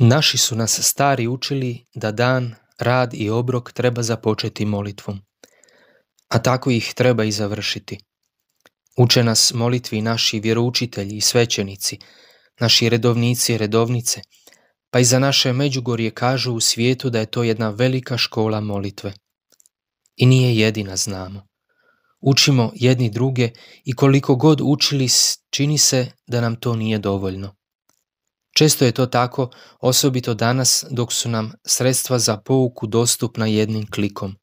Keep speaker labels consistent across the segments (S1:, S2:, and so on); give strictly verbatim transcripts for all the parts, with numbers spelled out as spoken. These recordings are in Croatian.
S1: Naši su nas stari učili da dan, rad i obrok treba započeti molitvom, a tako ih treba i završiti. Uče nas molitvi naši vjeroučitelji i svećenici, naši redovnici i redovnice, pa i za naše Međugorje kažu u svijetu da je to jedna velika škola molitve. I nije jedina, znamo. Učimo jedni druge i koliko god učili, čini se da nam to nije dovoljno. Često je to tako, osobito danas dok su nam sredstva za pouku dostupna jednim klikom.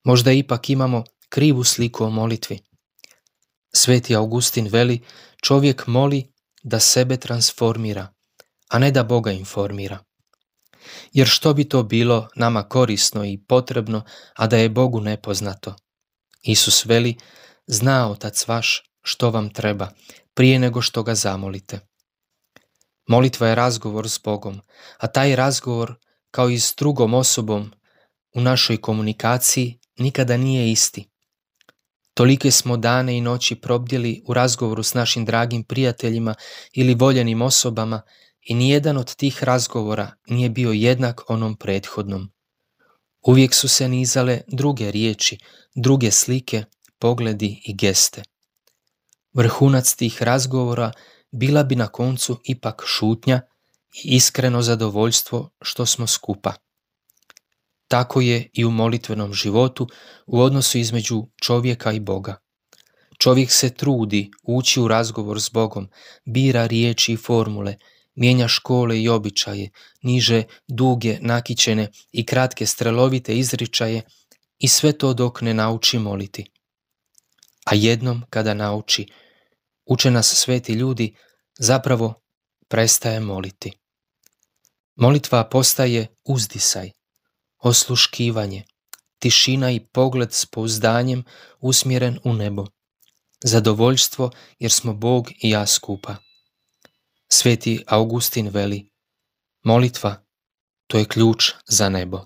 S1: Možda ipak imamo krivu sliku o molitvi. Sveti Augustin veli, čovjek moli da sebe transformira, a ne da Boga informira. Jer što bi to bilo nama korisno i potrebno, a da je Bogu nepoznato? Isus veli, zna Otac vaš što vam treba, prije nego što ga zamolite. Molitva je razgovor s Bogom, a taj razgovor, kao i s drugom osobom u našoj komunikaciji, nikada nije isti. Tolike smo dane i noći probdjeli u razgovoru s našim dragim prijateljima ili voljenim osobama i nijedan od tih razgovora nije bio jednak onom prethodnom. Uvijek su se nizale druge riječi, druge slike, pogledi i geste. Vrhunac tih razgovora bila bi na koncu ipak šutnja i iskreno zadovoljstvo što smo skupa. Tako je i u molitvenom životu u odnosu između čovjeka i Boga. Čovjek se trudi ući u razgovor s Bogom, bira riječi i formule, mijenja škole i običaje, niže, duge, nakićene i kratke strelovite izričaje i sve to dok ne nauči moliti. A jednom kada nauči, uče nas sveti ljudi, zapravo prestaje moliti. Molitva postaje uzdisaj, osluškivanje, tišina i pogled s pouzdanjem usmjeren u nebo, zadovoljstvo jer smo Bog i ja skupa. Sveti Augustin veli, molitva, to je ključ za nebo.